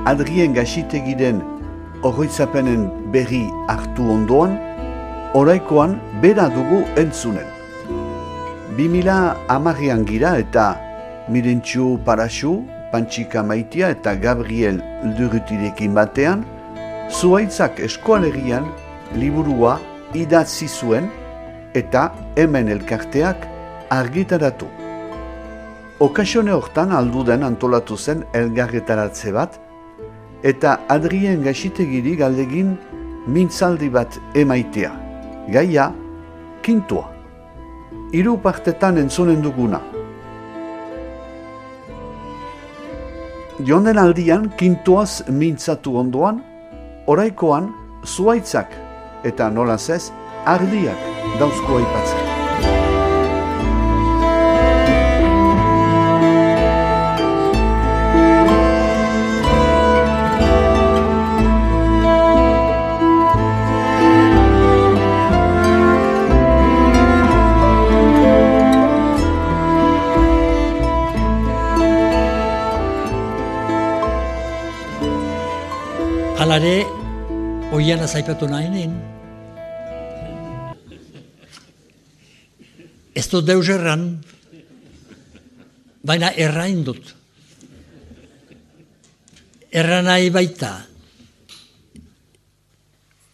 Adrien Gaxitegiren oroitzapenen berri hartu ondoan, oraikoan bera dugu entzunen. 2010an gira eta Mirentxu Paraxu, Pantxika Maitia eta Gabriel Durrutirekin batean, Zuhaitzak Eskualegian liburua idatzi zuen eta hemen elkarteak argitaratu. Okasione hortan alduden antolatu zen elgarretaratze bat, eta Adrien Gaxitegiri galdegin mintzaldi bat emaitea. Gaia, kintua. 3 partetan entzunen duguna. Jonden aldian, kintuaz mintzatu ondoan, oraikoan zuhaitzak eta nolaz ez, ardiak dauzko aipatzen. Halare, oian azaipatu nahinen. Ez dut deus erran, baina errain dut. Erran nahi baita.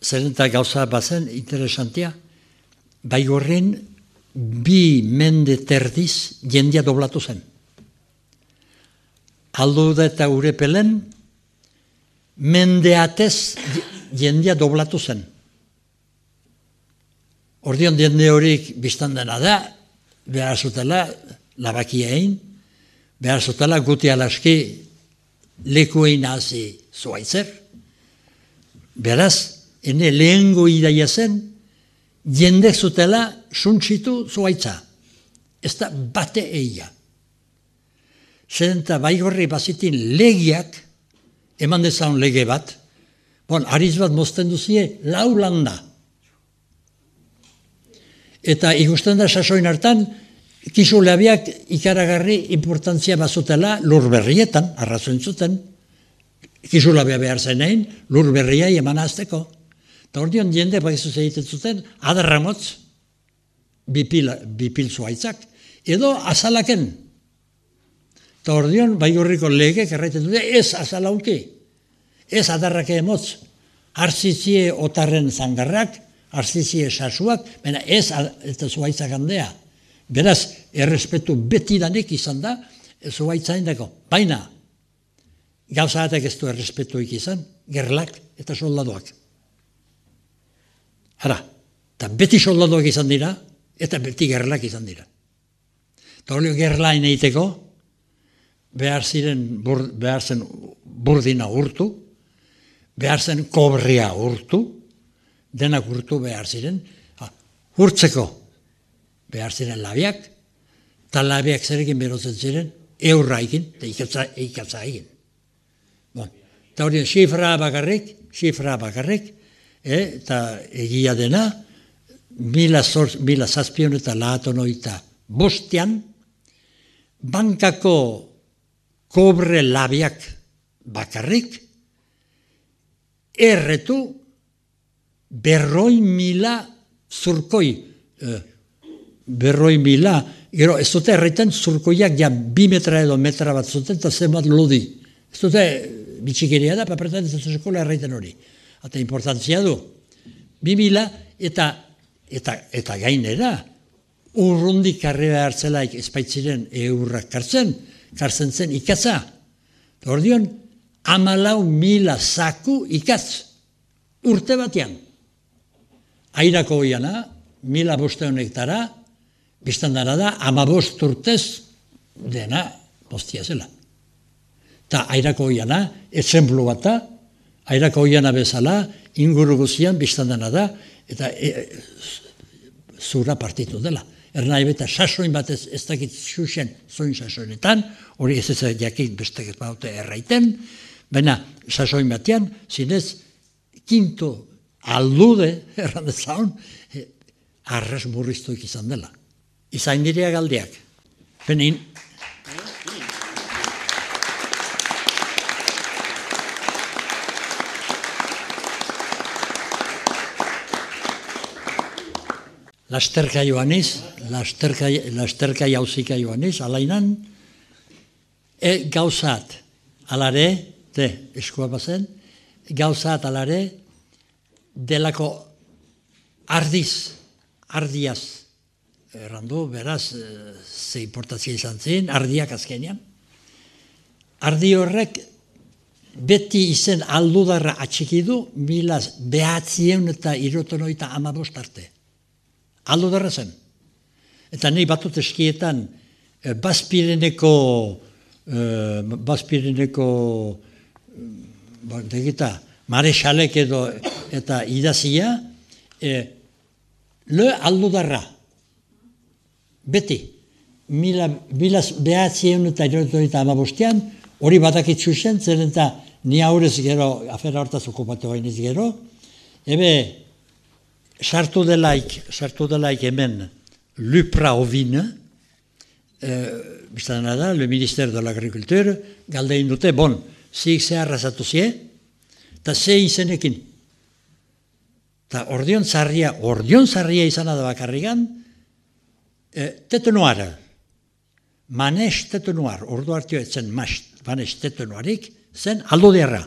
Zeren eta gauza bazen, interesantia, Baigorrin 2 mende terdiz jendia doblatu zen. Aldo da eta Urepelen, mendeatez jendia doblatu zen. Ordion jende horik biztan dena da, behar zutela labakia egin, behar zutela guti alaski lekuein hazi zuaitzer. Beraz, ene lehengo idaia zen, jende zutela suntsitu zuaitza. Ez da bate eia. Zeren eta Baigorri bazitin legiak, eman dezaun lege bat, ariz bat mozten duzie, 4 landa. Eta ikusten da sasoin hartan, kisuleabiak ikaragarri importantzia bazutela lur berrietan, arrazoen zuten, kisulabia behar zenein, lur berriai eman azteko. Eta ordion jende baizuz egiten zuten, adarramotz, bipil zuaitzak, edo azalaken. Eta ordion, Baigorriko legek erraiten dute, ez azalaunki, ez adarrake emotz, hartzizie otarren zangarrak, hartzizie sasuak, baina ez eta zuaitzak handea. Beraz, errespetu betidanik izan da, zuaitzain dago. Baina, gauza batek ez du errespetuik izan, gerlak eta soldadoak. Hara, eta beti soldadoak izan dira, eta beti gerlak izan dira. Eta hori gerlain egiteko, behar zen burdina urtu, behar zen kobria urtu, denak urtu behar ziren, urtzeko behar ziren labiak, eta labiak zerekin berotzen ziren, eurra egin, eta ikatza egin. Eta hori xifra bakarrik, eta egia dena, 1705 bankako kobre labiak bakarrik, erretu 100.000 zurkoi. 100.000, gero ez dute erraiten zurkoiak ja 2 metra edo metra bat zuten, eta zenbat lodi. Ez dute bitxikeria da, papertan ez dut eskola erraiten hori. Eta importantzia du. 2.000 eta gainera, urrundik karrera hartzelaik espaitziren eurrak kartzen zen ikatza. Ordion, 14.000 zaku ikatz, urte batean. Airako oiana, 1.500 hektara, biztan dara da, 15 urtez dena postia zela. Eta airako oiana, etzenplu bata, airako oiana bezala, inguru guzian biztan dara da, eta zura partitu dela. Ernai beta sasoin bat ez dakit xuxen zoin sasoinetan, hori ez jakit bestek ez baute erraiten, baina sasoin batean, zinez, kinto aldude, errandezaun, arras murriztuik izan dela. Izain direa galdiak. Benin. lasterka joaniz, lasterka jauzika joaniz, alainan, gauzat, alare, eskua bazen, gauzat alare, delako ardiaz, errandu, beraz, ze importazia izan zen, ardiak azkenean. Ardi horrek, beti izen aldudarra atxikidu, 1975 arte. Aldudarra zen. Eta nahi batut eskietan, Bazpireneko marexalek edo eta idazia, le aldudarra. Beti. 1975 hori badakitzu zen, zer eta ni aurrez gero, afera hortaz okupatu bainiz gero, sartu delaik hemen Lupra ovine, biztan da, le Ministère de l'Agriculture, galdein dute, zik zeharra zatu zie, eta ze izenekin. Eta ordion zarria izan da bakarrigan, tetenuara. Manes tetenuar, ordu hartio etzen manes tetenuarik, zen alduderra.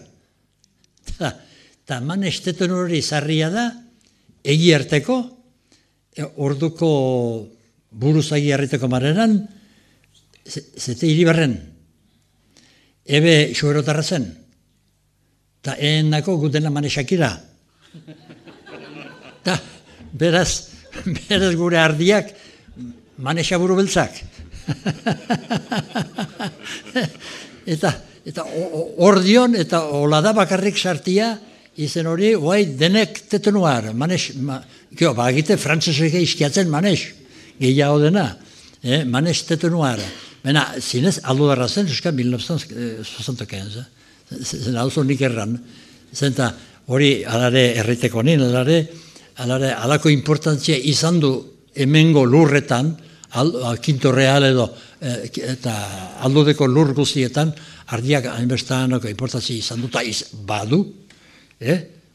Eta manes tetenuari zarria da, egi harteko, orduko buruzagi harriteko marenan, zete hiribarren, ebe xuerotarra zen, eta nako gutena manesakira. Eta beraz gure ardiak manesaburu beltzak. Eta ordion eta olada bakarrik sartia izen hori, denek tetenuar, bagite frantzeseke izkiatzen manes, gehiago dena, manes tetenuar. Baina, zinez, aldudarra zen, euskal 1965, zen hau nik erran, zenta hori alare erriteko nien, alako importantzia izan du hemengo lurretan, Quinto Real edo, eta aldudeko lur guztietan, ardiak hainbestanako importantzia izan du, eta badu,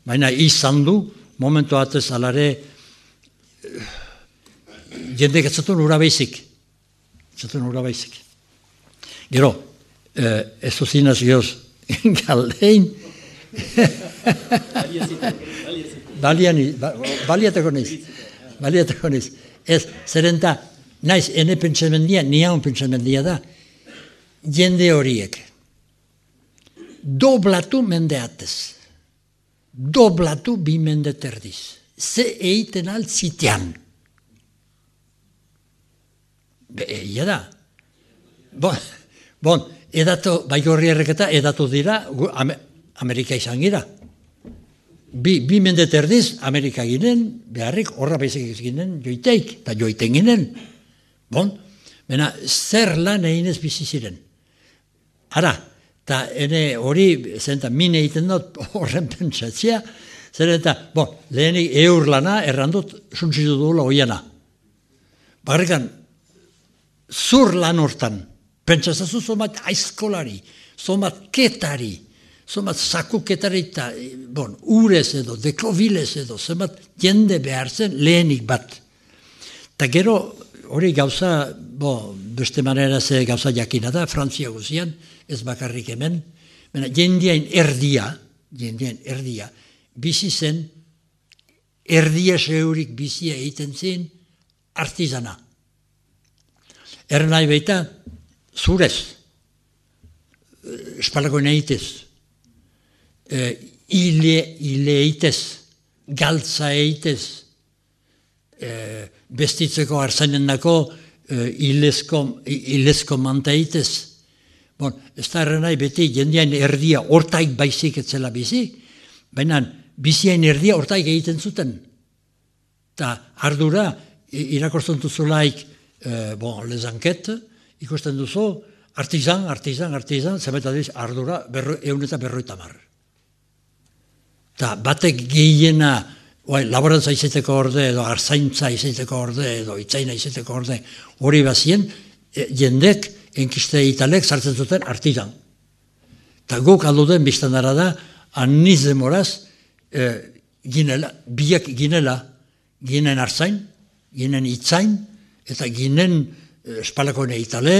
baina izan du, momentu atez alare, jendek etzatun ura baizik. Gero, ez duzinaz gehoz, galdein, baliateko niz. Ez, zerenta, naiz, ene pentsamendia, niaun pentsamendia da, jende horiek, doblatu mendeatez, doblatu bi mende terdiz, ze eiten altzitean. Egia da. Edatu, baigorri erreketa, edatu dira, Amerika izan gira. Bi mende terdiz, Amerika ginen, beharrik, horra baizik ginen, joiteik, eta joiten ginen. Bena, zer lan eginez bizi ziren. Ara, eta hori, zenta, mine egiten dut, horren pentsatzea, zer eta, lehenik eur lana, errandut, suntzitu duela oiana. Bakarrikan, zur lan hortan, pentsazazu zomat aizkolari, zomat ketari, zomat zakuketari eta, urez edo, deklobilez edo, zomat jende behar zen lehenik bat. Eta gero, hori gauza, beste manera ze gauza jakina da, Frantzia guzian, ez bakarrik hemen, jendeain erdia, bizi zen, erdia seurik bizia egiten zen, artizana. Nahi baita, zurez, espalako nahitez, ile eitez, galtza eitez, bestitzeko arzainen dako ilezko manta eitez. Ez da nahi beti jendean erdia hortaik baizik etzela bizi, baina biziain erdia hortaik egiten zuten. Eta ardura, irakortzen duzulaik, les enquetes, ikusten duzu, artizan, zemeta diz, ardura, 150. Eta batek gehiena, laborantza izaiteko orde, edo arzaintza izaiteko orde, edo itzaina izaiteko orde, hori bazien, jendek, enkiste italek, sartzen zuten artizan. Eta guk alduden biztan dara da, aniz demoraz, biak ginela, ginen arzain, ginen itzain, eta ginen espalakoen eitale,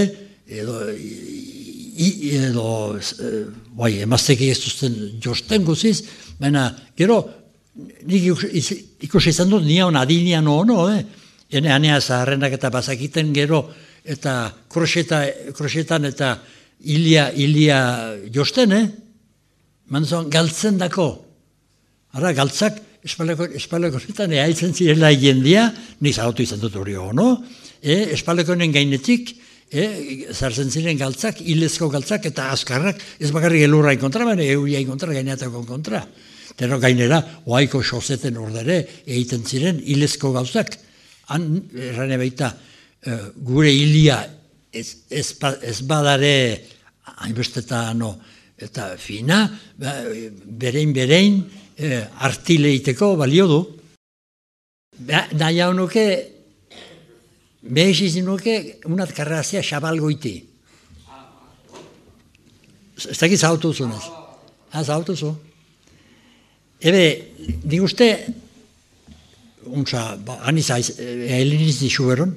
emazteki ez duzten josten guziz, baina gero nik ikusi izan dut nion adinean ono, ene anea zaharrenak eta bazakiten gero, eta kroxetan eta hilia josten, manzon galtzen dako. Ara, galtzak espalakoetan eaitzen zirela jendia, nik zagotu izan dut hori ono, espalakoenen gainetik, zartzen ziren galtzak, hilezko galtzak eta azkarrak, ez bakarrik elurrain kontra, baina euriain kontra, gaineatako kontra. Tero gainera, oaiko xoseten ordere, egiten ziren hilezko gauzak. Han, errane baita, gure hilia ez badare, hainbestetan, eta fina, berein, artileiteko balio du. Nahi hau nuke, behizizin nuke, unat karrazia xabalgoiti. Ez dakit zautu zunez. Zautu zu. Ebe, nik uste, aniz heliniz dixuberon,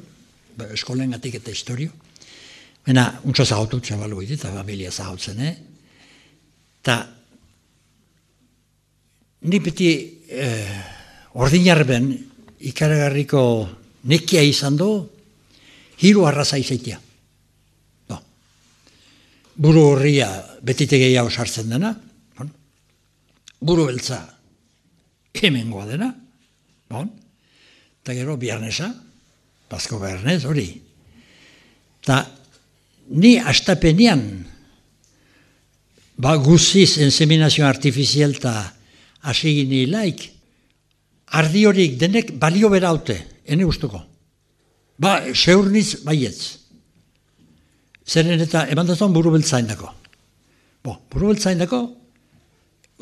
eskolen gatik eta historio, baina untsa zautu xabalgoiti, eta familia zautzen, eta ni beti ordinarben ikaragarriko nekia izan du, hiru arraza izaitia. Buru horria betite gehiago sartzen dena, buru beltza hemengoa dena, eta gero biarnesa, Basko Bernez hori. Eta ni astapenean, guziz inseminazio artifizial eta hasi ginilaik, ardi horik denek balio beraute, ene gustuko. Seurniz baietz. Zeren eta eman dazun buru beltzain dako. Buru beltzain dako,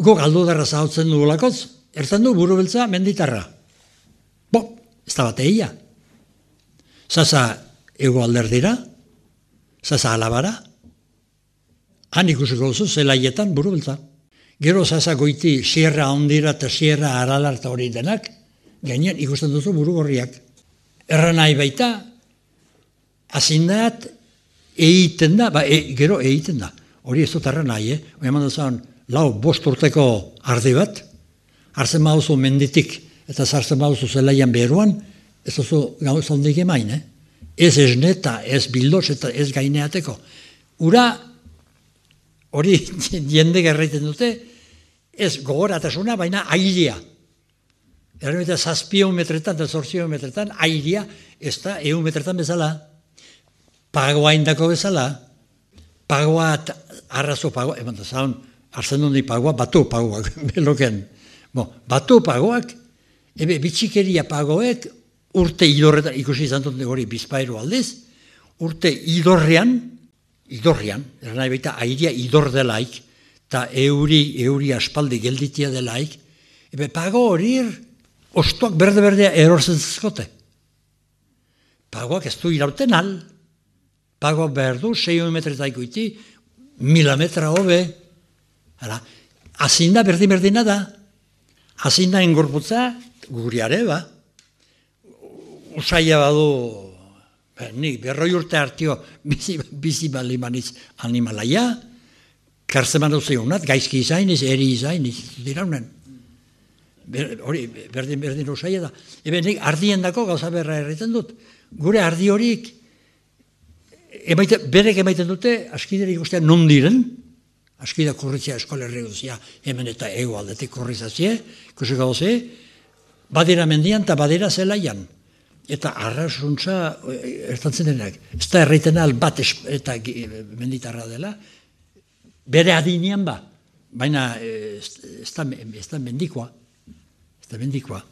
go galdu darra zahautzen dugulakoz, ertzen du buru beltza menditarra. Ez da bate eia. Zaza ego alderdira, zaza alabara, han ikusiko duzu zelaietan buru beltza. Gero zaza goiti sierra ondira eta sierra aralar eta hori denak, gainean ikusten duzu buru gorriak. Erra nahi baita, azindat egiten da, gero egiten da. Hori ez dut erra nahi, eman duzan, 4-5 urteko ardi bat, hartzen bauzu menditik eta zartzen bauzu zelaian beruan, ez duzu gauza hondik emain, Ez esneta, ez bildoz eta ez gaineateko. Ura, hori jende gerraiten dute, ez gogoratasuna, baina airea. Eta 7 metretan eta 8 metretan airea, ez da 1 metretan bezala. Pagoa indako bezala. Pagoa, arrazo pagoa, eman da zaun, hartzen dundi pagoa, batu pagoak, beloken. Batu pagoak, bitxikeria pagoek, urte idorretan, ikusi izan dut hori bizpairu aldiz, urte idorrean, nahi baita airea idor delaik, eta euri aspaldi gelditia delaik, pago hori ostoak berde-berdea erortzen zizkote. Pagoak ez du irauten al, pagoak behar du, 6 metretaiko iti, 1000 metra hobe, azinda berdin-berdina da, azinda engorputza, guriare, usaila badu, nik 100 urte hartio bizi balimaniz animalaia, karzeman dut zeunat, gaizki izainiz, eri izainiz, diraunen. Hori, berdin usaila da. Nik ardien dako gauza berra erreten dut. Gure ardi horik, berek emaiten dute, askidera ikustean non diren, askida kurritzea eskolerri guzia, hemen eta ego aldetik kurrizazie, ikusiko doze, badera mendian eta badera zelaian. Eta arrasuntza ertantzen denak. Ez da erraiten al bat eta menditarra dela, bere adinean baina ez da mendikoa. Ez da mendikoa.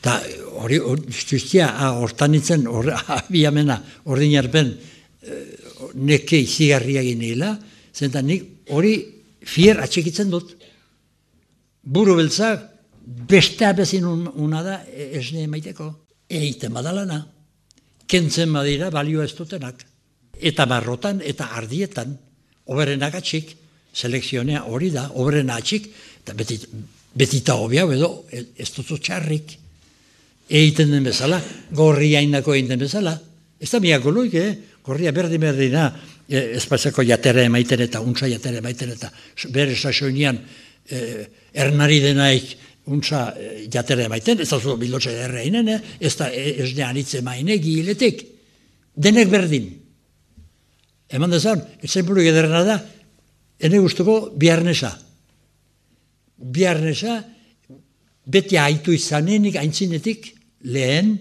Eta hori, justia, hortanitzen, abiamena, ordinarpen, neke izigarria ginela, zenta nik hori fier atxekitzen dut. Buru beltza, beste abezin una da esne emaiteko. Eiten badalana, kentzen badira balio ez dutenak. Eta marrotan eta ardietan, oberenak atxik, selekzionea hori da, oberena atxik, eta betita hobi hau edo ez duzu txarrik. egiten den bezala, gorria indako egiten bezala. Ez da miako loik, gorria berdina, espaziako jatera emaiten eta untsa jatera emaiten eta bere sasoinian ernari denaik untsa jatera emaiten, ez da zu bilotxa erreinen, ez da esne anitze maine giletik. Denek berdin. Eman dezan, etzen buru ederena da, ene guztuko biarnesa. Biarnesa, beti haitu izanenik, aintzinetik, lehen,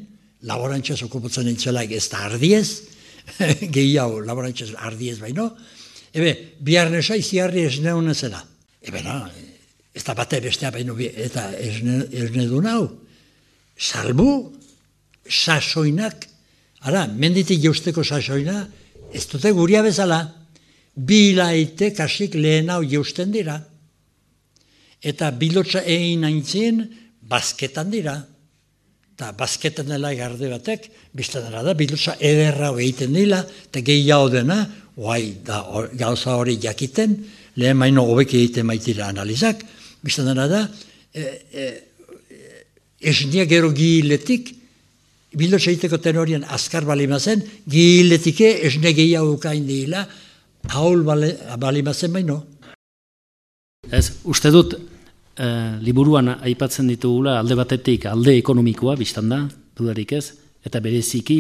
laborantxaz okupatzen entzelaik ez da ardiez, gehiago laborantxaz ardiez baino, biarnesa iziarri esneuna zela. Ez da bate bestea baino eta esne du nau. Salbu, sasoinak, ara, menditik jeusteko sasoina, ez dute guria bezala, bilaite kasik lehen hau jeusten dira. Eta bilotxa egin aintzien, basketan dira. Eta basketan dela garde batek, bizten dela da, bilotxa ederra egiten dira, eta gehiago dena, gauza hori jakiten, lehen maino hobek egiten maitira analizak, bizten dela da, esnia gero giletik, bilotxa egiteko tenorian azkar balimazen, giletike esne gehiago ukain dira, haul balimazen baino. Ez, uste dut, liburuan aipatzen ditugula alde batetik alde ekonomikoa, biztan da, dudarik ez, eta bereziki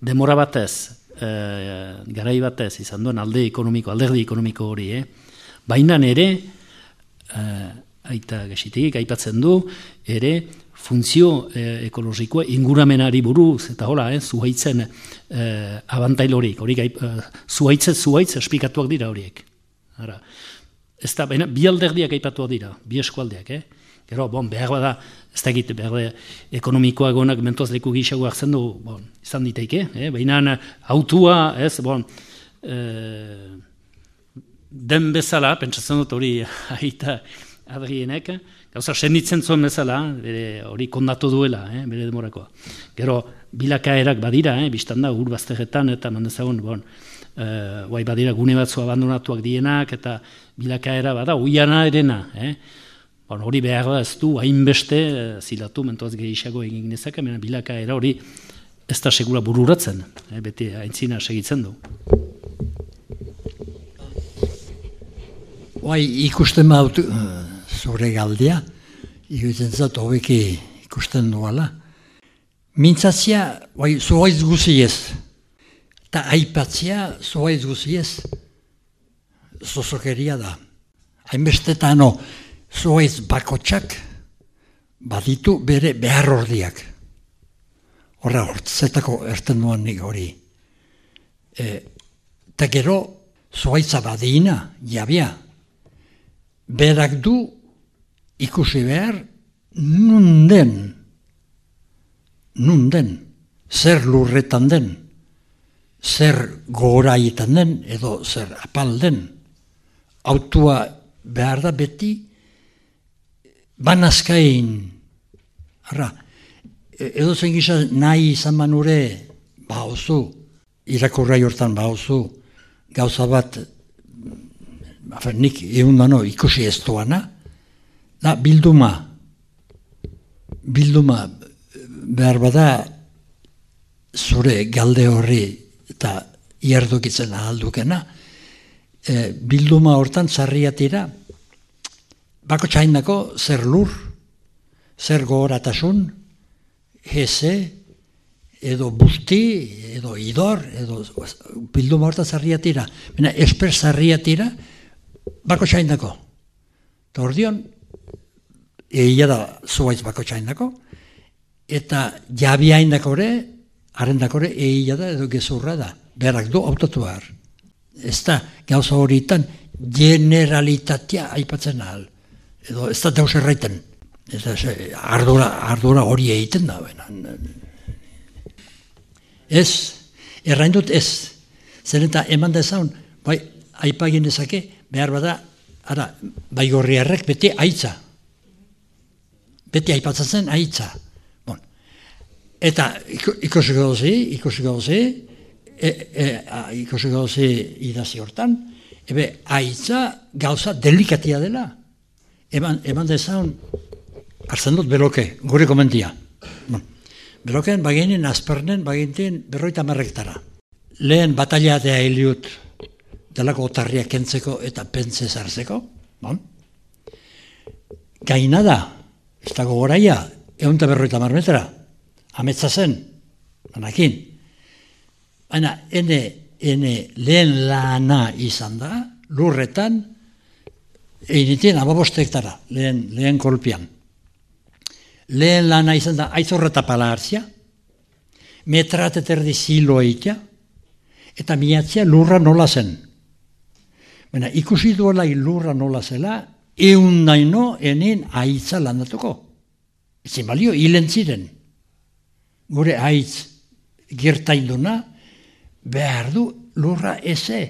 demora batez, garai batez izan duen alderdi ekonomiko hori, baina ere, aita gesitik aipatzen du, ere funtzio ekologikoa inguramenari buruz, eta hola, zuhaitzen abantail horiek, zuhaitz esplikatuak dira horiek. Ara, ez da, baina, bi alderdiak aipatuak dira, bi eskualdeak, Gero, behar bada, ez da egite, behar ekonomikoak honak mentoaz leku gixago hartzen du, izan diteike, baina autua, den bezala, pentsatzen dut hori aita Adrienek, gauza senditzen zuen bezala, hori kondatu duela, bere demorakoa. Gero, bilakaerak badira, biztan da, urbaztegetan, eta mandezagun, badira gune batzu abandonatuak dienak, eta bilakaera bada, uiana erena, hori behar da ez du, hainbeste zilatu, mentoaz gehiago egin nezak, bilakaera hori ez da segura bururatzen, beti aintzina segitzen du. Ikusten baut zure galdea, ikusten zat hobeki ikusten duala. Mintzatzia, zuhaiz guziez, eta aipatzia zuhaiz guziez, zozokeria da. Hainbestetano, zuhaiz bakotxak baditu bere behar ordiak. Horra hortzetako erten duan nik hori. Eta gero, zuhaitza badina, jabia, berak du ikusi behar nunden, zer lurretan den, zer goraietan den, edo zer apal den. Autua behar da beti banazkain. Edo zen gisa nahi izan manure bauzu, irakurrai hortan bauzu, gauza bat, nik egun dano ikusi ez duana, da bilduma behar bada zure galde horri eta iardokitzen ahaldukena, bilduma hortan zarriatira, bako txainako zer lur, zer gogoratasun, heze, edo busti, edo idor, edo bilduma hortan zarriatira. Esper zarriatira, bako txainako. Eta ordion, egia da zuaiz bako txainako, eta jabia indakore, arrendakore egia da edo gezurra da. Berak du autotu behar. Ez da, gauza horietan, generalitatea aipatzen ahal. Edo ez da deus erraiten. Ardura hori egiten da. Ez, errain dut ez. Zer eta eman dezaun, aipagin ezake, behar bada, bai gorriarrek beti aitza. Beti aipatzen aitza. Eta ikusiko dozi idazi hortan, aitza gauza delikatia dela. Eman dezaun, hartzen dut beloke, gure komentia. Beroken baginen azpernen baginten 50 hektara. Lehen bataliatea hiliut delako otarriak kentzeko eta pentze zartzeko. Bon? Gaina da, ez dago goraia, 150 metera, ametsa zen, banakin. Baina, ene lehen lana izan da, lurretan, egiten 15 hektara, lehen kolpian. Lehen lana izan da, aizorreta pala hartzia, metrat eterdi ziloa ikia, eta miatzia lurra nola zen. Baina, ikusi duela lurra nola zela, naino enen aitza landatuko. Ezin balio, hilen ziren. Gure aitz gertainduna, behar du lurra eze.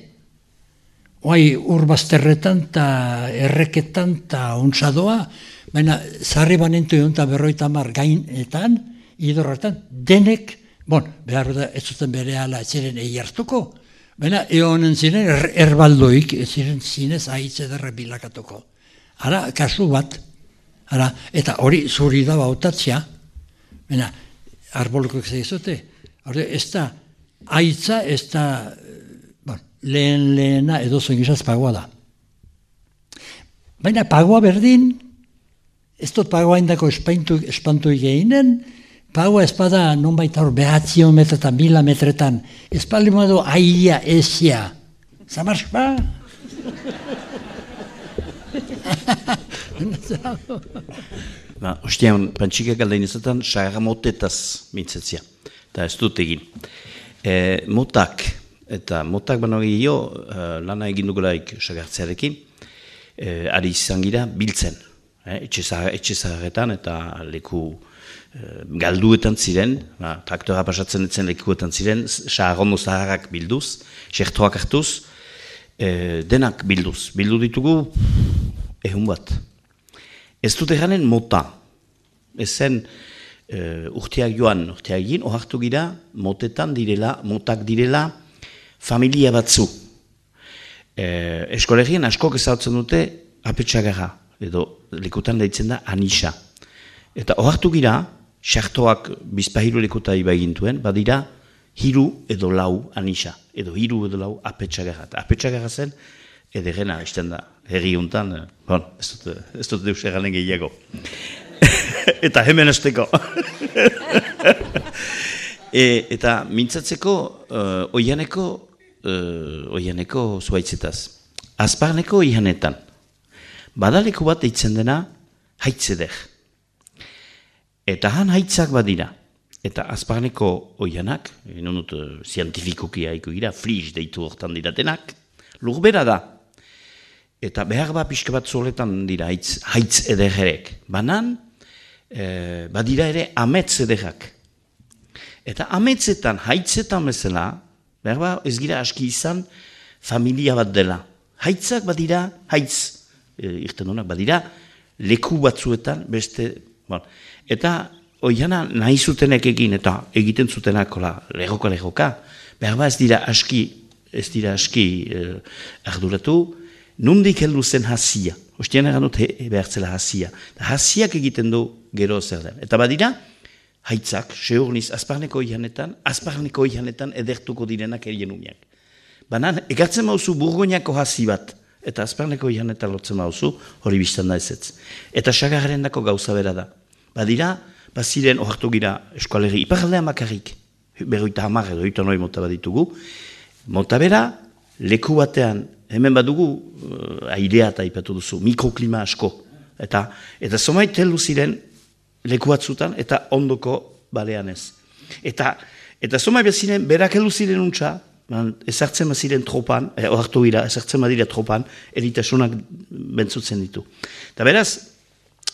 Oai urbazterretan eta erreketan eta ontsadoa, baina zarri banentu egon eta 50 gainetan, idorretan, denek, behar da ez zuten bere ala ziren hartuko, baina egonen ziren erbaldoik, ziren zinez aitz ederre bilakatuko. Ara, kasu bat, eta hori zuri da bautatzea, baina arboloko zegizute, ez da, aitza ez da, lehena edo zengizaz pagoa da. Baina pagoa berdin, ez dut pagoa indako espantu eginen, pagoa espada non baita hor 900 metretan, 1000 metretan, espaldi modu aia ezia. Zamarspa? Ostean, pantxikak aldain izaten, sagamotetaz mintzetzia. Eta ez dut egin. Motak baino gehiago, lana egin dugulaik sagartzearekin, ari izan gira biltzen. Etxe zaharretan eta leku galduetan ziren, traktora pasatzen ditzen lekuetan ziren, saharondo zaharrak bilduz, sertoak hartuz, denak bilduz. Bildu ditugu, ehun bat. Ez dut eranen mota. Ez zen urteak egin, ohartu gira, motak direla, familia batzu. Eskolegien askok ezautzen dute apetxagarra, edo lekutan deitzen da anisa. Eta ohartu gira, sartoak bizpahiru lekuta ibagintuen, badira hiru edo lau anisa, edo hiru edo lau apetxagarra. Apetxagarra zen, ederrena, izten da, herri untan, ez dut deus erranen gehiago. Eta hemen esteko. Eta mintzatzeko oianeko zuaitzetaz. Azparneko oianetan. Badaleku bat eitzen dena haitzeder. Eta han haitzak badira. Eta azparneko oianak, nonut zientifikoki haiko gira, fliz deitu hortan diratenak, lurbera da. Eta behar bat pixka bat zuletan dira haitz ederrek. Banan, badira ere ametz ederrak. Eta ametzetan, haitzetan bezala, behar bat ez gira aski izan familia bat dela. Haitzak badira, irten honak badira, leku batzuetan beste, eta oiana nahi zutenek egin, eta egiten zutenak lehoka, behar bat ez dira aski arduratu, nundik heldu zen hasia. Ostean egan dut behar zela hasia. Hasiak egiten du gero zer den. Eta badira, haitzak, seurniz, azparneko oianetan edertuko direnak erien umiak. Banan, egartzen mauzu burgoinako hasi bat, eta azparneko oianetan lotzen mauzu, hori biztan da ezetz. Eta sagarren dako gauza bera da. Badira, baziren ohartu gira eskualerri, iparaldean bakarrik, 50 edo 59 mota baditugu, mota bera, leku batean, hemen badugu, airea eta ipatu duzu, mikroklima asko. Eta zomait heldu ziren, leku batzutan, eta ondoko balean ez. Eta zomait beziren, berak heldu ziren untxa, ezartzen baziren tropan, ohartu gira, ezartzen badira tropan, eritasunak bentzutzen ditu. Eta beraz,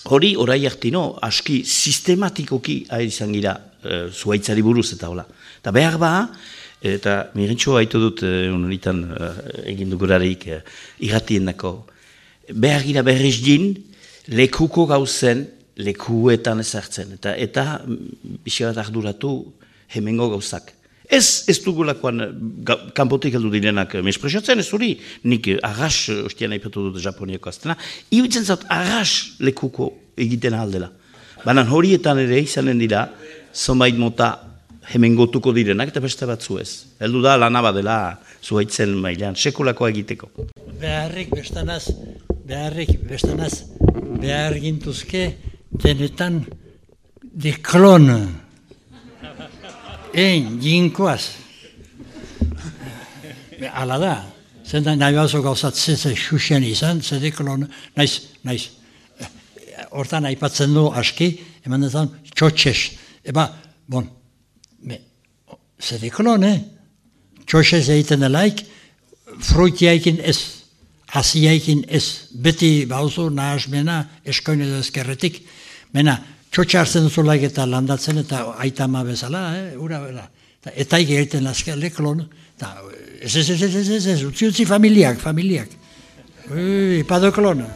hori orai hartino, aski sistematikoki izan gira zuaitzari buruz eta hola. Eta behar ba, eta mirintxoa haitu dut honitan egin dugurarik irratien dako, behar gira berriz din, lekuko gauzen, lekuetan ezartzen. Eta bisabat arduratu hemengo gauzak. Ez dugulakoan kanpotik heldu direnak mespresatzen, ez hori, nik arras, ostian aipatu dut Japoniako aztena, iutzen zaut arras lekuko egiten aldela. Baina horietan ere izanen dira, zonbait mota hemen gotuko direnak eta beste batzu ez. Heldu da lana badela zuhaitzen mailan, sekulakoa egiteko. Beharrik bestanaz, behar gintuzke denetan de klon. Jinkoaz. Ala da, zendan nahi bazo gauzatzen xuxen izan, zede klon, naiz, hortan aipatzen du aski, eman dezan txotxez. Zede klon, txotxez egiten delaik, fruitiaikin ez, hasiaikin ez, beti bauzu nahasmena eskoin edo ezkerretik, mena, txotxe hartzen duzulaik eta landatzen eta aitama bezala, ura bera. Eta egiten azkale klon, ez, utzi familiak. Pado klona.